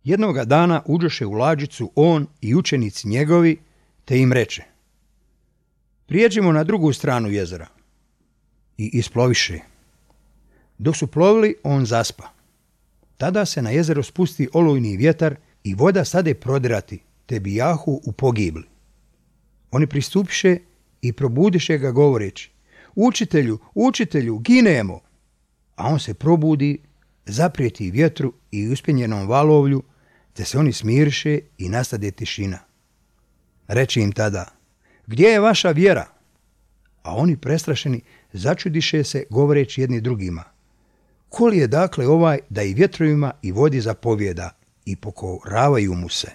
Jednoga dana uđoše u lađicu on i učenici njegovi, te im reče: prijeđimo na drugu stranu jezera. I isploviše. Dok su plovili, on zaspa. Tada se na jezero spusti olujni vjetar i voda stade prodirati, te bijahu u pogibli. Oni pristupiše i probudiše ga govoreći: učitelju, učitelju, ginemo! A on se probudi, zaprijeti vjetru i uspjenjenom valovlju, te se oni smiriše i nastade tišina. Reče im tada: gdje je vaša vjera? A oni prestrašeni začudiše se govoreći jedni drugima: ko li je dakle ovaj da i vjetrovima i vodi zapovijeda i pokoravaju mu se?